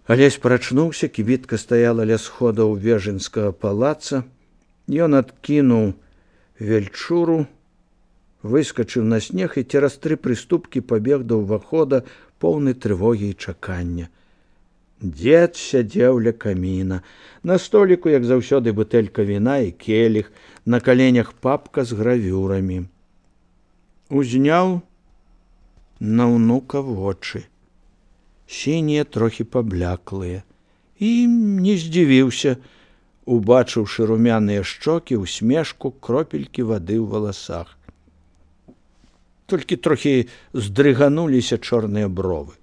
Алесь прачнуўся, кібітка стаяла ля сходаў вежынскага палаца. Ён адкінуў вельчуру, выскачыў на снег і цераз 3 прыступкі пабег да ўвахода, поўны трывогі і чакання. Дзед сядзеў ля каміна. На століку, як заўсёды, бутэлька віна і келіх, на каленях папка з гравюрамі. Узняў на ўнука вочы. Сінія, трохі пабляклыя. І не здзівіўся, убачыўшы румяныя шчокі, усмешку, кропелькі вады ў валасах. Толькі трохі здрыгануліся чорныя бровы.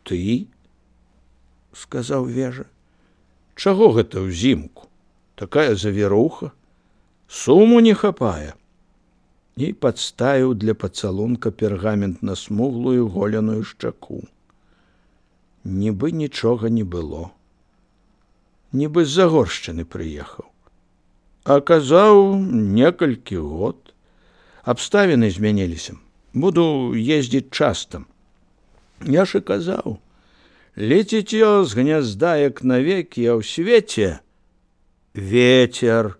Ты? — сказаў Вежа. Чаго гэта ўзімку? Такая завіруха. Суму не хапае. І падставіў для пацалунка пергамент на смуглую голеную шчаку. Нібы нічога не было. Нібы з-за Горшчыны прыехаў. А казаў, некалькі год. Абставіны змяніліся. Буду ездзіць часта. Я ж і казаў. Леціцё з гнязда, як навекі, а ў свеце ветер.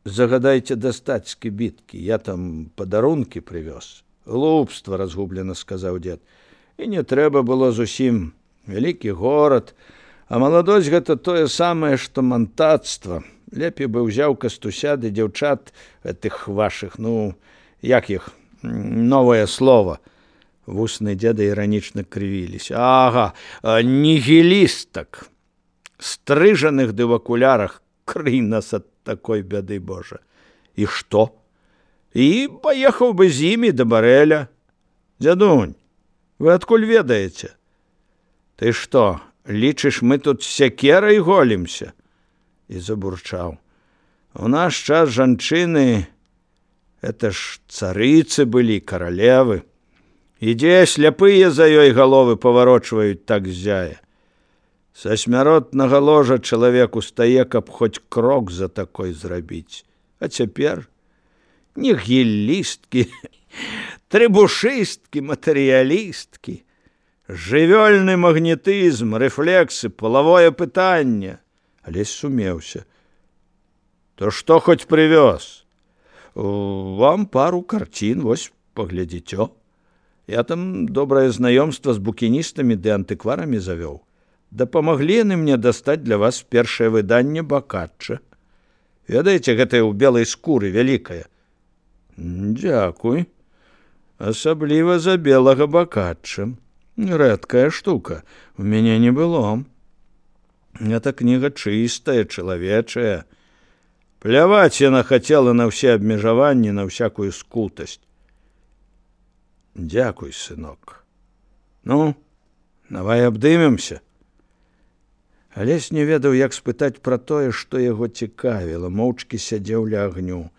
Загадайце дастаць з кібіткі. Я там падарункі прывёз. Глупства, разгублена сказаў дзед. І не трэба было зусім. Вялікі горад. А маладосць гэта тое самае, што мантацтва. Лепей бы ўзяў кастуся ды дзяўчат гэтых вашых, як іх, новае слова. Вусны дзеда іранічна крывіліся. Ага, нігілістак. Стрыжаных ды в акулярах. Крый нас ад такой бяды, Божа. І што? І паехаў бы з імі да барэля. Дзядунь, вы адкуль ведаеце? Ты што, лічыш, мы тут сякерай голімся? І забурчаў. У наш час жанчыны, это ж царыцы былі, каралевы. Ідзе, сляпыя за ёй галовы паварочваюць так ззяе. Са смяротнага ложа чалавек устае, каб хоць крок за такой зрабіць. А цяпер нігілісткі, трыбушысткі, матэрыялісткі, жывёльны магнетызм, рэфлексы, палавое пытанне. Алесь сумеўся. То што хоць прывёз? Вам пару карцін, вось паглядзіцё. Я там добрае знаёмства з букіністамі ды антыкварамі завёў. Дапамаглі яны мне дастаць для вас першае выданне Бакачча. Ведаеце, гэтае ў белай скуры вялікае. Дзякуй. Асабліва за белага Бакачча. Рэдкая штука. У мяне не было. Гэта кніга чыстая, чалавечая. Пляваць яна хацела на ўсе абмежаванні, на ўсякую скутасць. Дзякуй, сынок. Давай абдымемся. Алесь не ведаў, як спытаць пра тое, што яго цікавіла, моўчкі сядзеў ля агню.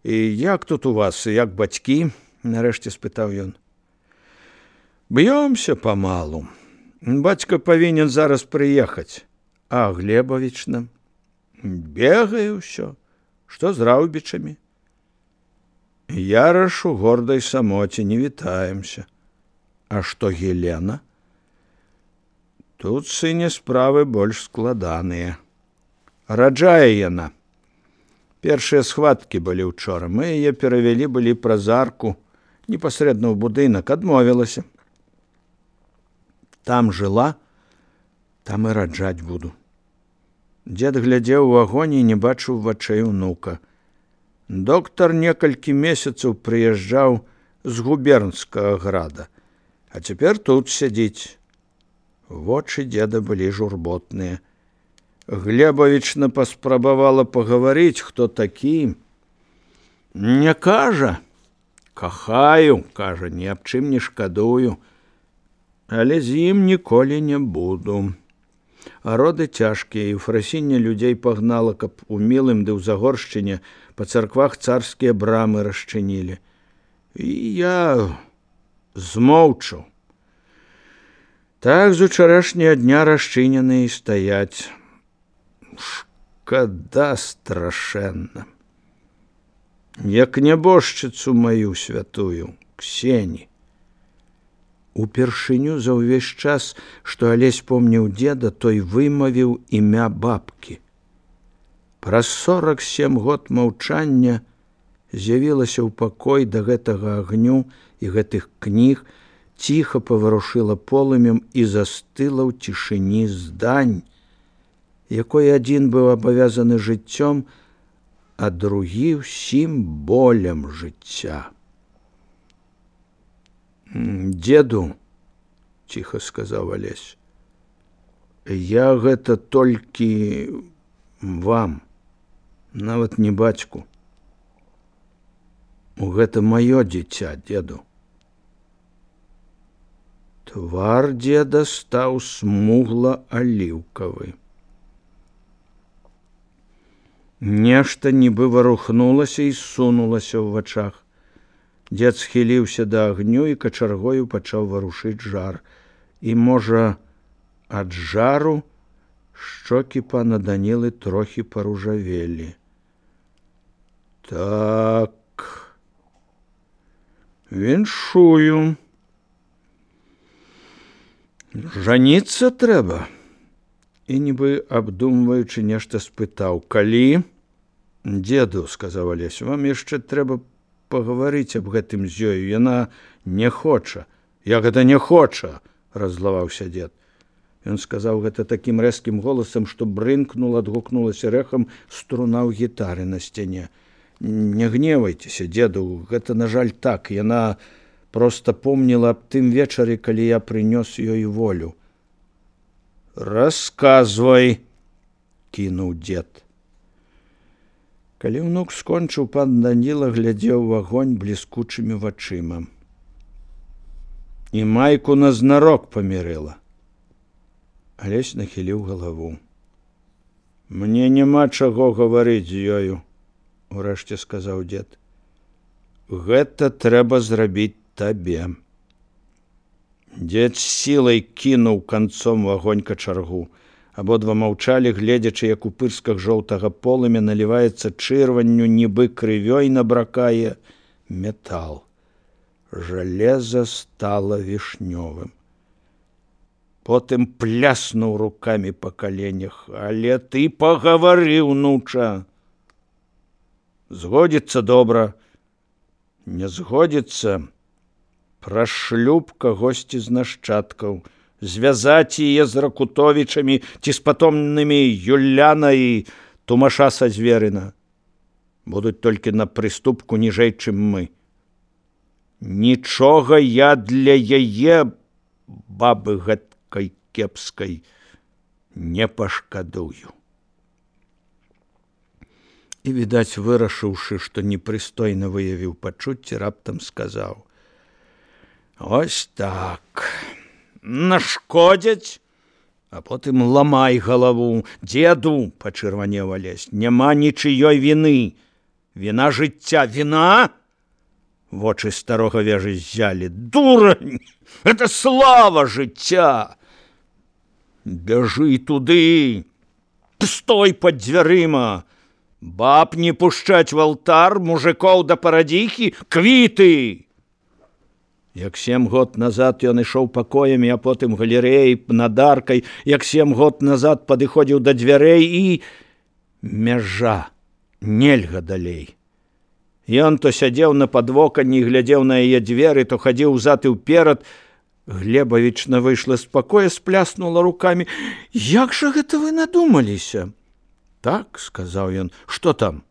І як тут у вас, як бацькі? Нарэшце спытаў ён. Б'ёмся памалу. Бацька павінен зараз прыехаць. А Глебавічна? Бегае ўсё. Што з раўбічамі? Яраш у гордай самоце, не вітаемся. А што Гелена? Тут, сыне, справы больш складаныя. Раджае яна. Першыя схваткі былі ўчора. Мы яе перавялі былі праз арку, непасрэдна ў будынак, адмовілася. Там жыла, там і раджаць буду. Дзед глядзеў у агонь і не бачыў вачэй унука. Доктар некалькі месяцаў прыязджаў з губернскага града, а цяпер тут сядзіць. Вочы дзеда былі журботныя. Глебавічна паспрабавала пагаварыць, хто такі. Не кажа. Кахаю, кажа, ні аб чым не шкадую. Але з ім ніколі не буду. А роды цяжкія, і фрасінне людзей пагнала, каб у Мілым ды ў Загоршчыне па царквах царскія брамы расчынілі. І я змоўчаў. Так з учарашняга дня расчынены і стаяць. Шкада страшэнна. Як нябожчыцу маю святую, Ксені. Упершыню за ўвесь час, што Алесь помніў деда, той вымавіў імя бабкі. Праз 47 год маўчання з'явілася ў пакой да гэтага агню і гэтых кніг, ціха паварушыла полымем і застыла ў цішыні здань, якой адзін быў абавязаны жыццём, а другі ўсім болем жыцця. «Деду, — ціха сказаў Алесь, — я гэта толькі вам, нават не бацьку. Гэта маё дзіця, деду». Твар деда стаў смугла-аліўкавы. Нешта нібы варухнулася і сунулася ў вачах. Дзед схіліўся да агню і качаргою пачаў варушыць жар. І, можа, ад жару шчокі пана Данілы трохі паружавелі. «Так, віншую. Жаніцца трэба». І нібы абдумваючы нешта спытаў: «Калі?» «Деду, — сказаў Алесь, — вам яшчэ трэба пагаварыць аб гэтым з ёю. Яна не хоча». «Як гэта не хоча?» — раззлаваўся дед. Ён сказаў гэта такім рэзкім голасам, што брынкнула, адгукнулася рэхам струна ў гітары на сцяне. «Не гневайцеся, деду, гэта, на жаль, так. Яна проста помніла аб тым вечары, калі я прынёс ёй волю». «Расказвай», — кінуў дед. Калі ўнук скончыў, пан Даніла глядзеў у агонь бліскучымі вачыма. «І майку назнарок памірыла». Алесь нахіліў галаву. «Мне няма чаго гаварыць з ёю», — урэшце сказаў дед. «Гэта трэба зрабіць табе». Дед з сілай кінуў канцом у агонь качаргу. Абодва маўчалі, гледзячы, як у пырсках жоўтага полымя наліваецца чырванню, нібы крывёй набракае метал. Жалеза стала вішнёвым. Потым пляснуў рукамі па каленях. «Але ты пагавары, унуча. Згодзіцца добра, не згодзіцца — пра шлюб кагосьці з нашчадкаў, звязаць яе з Ракутовічамі ці з патомнымі Юляна і Тумаша са Зверына. Будуць толькі на прыступку ніжэй, чым мы. Нічога я для яе, бабы гэткай кепскай, не пашкадую». І, відаць, вырашыўшы, што непрыстойна выявіў пачуцці, раптам сказаў: «Ось так. Нашкодзяць, а потым ламай галаву. Деду, — пачырванеў Алесь, — няма нічыёй віны. Віна жыцця. Віна?» Вочы старога вежы ззялі. «Дурань! Это слава жыцця! Бяжы туды! Стой пад дзвярыма! Баб не пушчаць в алтар, мужикоў да парадзіхі, квіты!» Як 7 год назад ён ішоў пакоямі, а потым галерэяй над аркай, як 7 год назад падыходзіў да дзвярэй і... Мяжа, нельга далей. Ён то сядзеў на падвоканні і глядзеў на яе дзверы, то хадзіў узад і ўперад. Глебавічна выйшла з пакоя, спляснула рукамі. «Як жа гэта вы надумаліся?» «Так, — сказаў ён. — Што там?»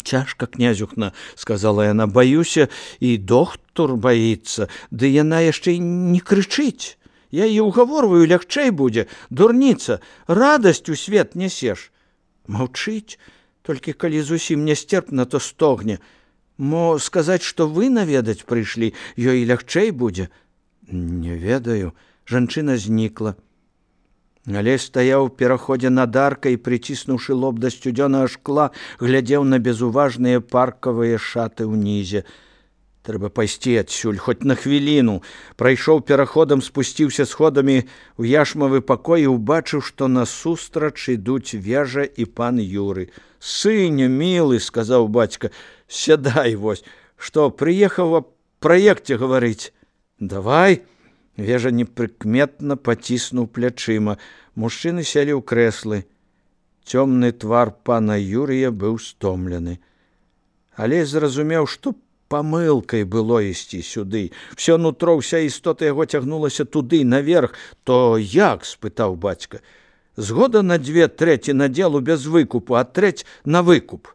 «Цяжка, князюхна, — сказала яна, — баюся, і доктор баіцца, ды яна яшчэ не крычыць. Я яе угаворваю, лягчэй будзе. Дурніца, радасць у свет нясеш. Маўчыць, толькі калі зусім нястерпна, то стогне. Мо сказаць, што вы наведаць прыйшлі, ёй лягчэй будзе?» «Не ведаю». Жанчына знікла. Алесь стаяў у пераходзе над аркай і, прыціснуўшы лоб да сцюдзёнага шкла, глядзеў на безуважныя паркавыя шаты ўнізе. Трэба пайсці адсюль, хоць на хвіліну. Прайшоў пераходам, спусціўся сходамі ў яшмавы пакой і ўбачыў, што насустрач ідуць Вежа і пан Юры. «Сыне, мілы, — сказаў бацька, — сядай вось. Што, прыехаў аб праекце гаварыць?» «Давай. Вежа непрыкметна паціснуў плячыма. Мужчыны селі ў крэслы. Цёмны твар пана Юрыя быў стомлены. Алесь зразумеў, што памылкай было ісці сюды. Всё нутро, вся істота яго цягнулася туды, наверх. То як? — спытаў бацька. Згода на 2/3 надзелу без выкупу, а трэць на выкуп.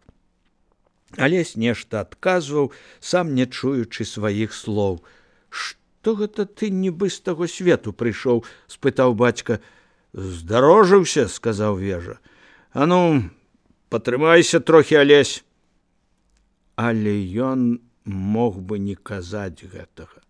Алесь нешта адказваў, сам не чуючы сваіх слоў. Што гэта ты нібы з таго свету прыйшоў? — спытаў бацька. Здарожыўся, — сказаў Вежа. А ну, патрымайся трохі, Алесь. Але ён мог бы не казаць гэтага.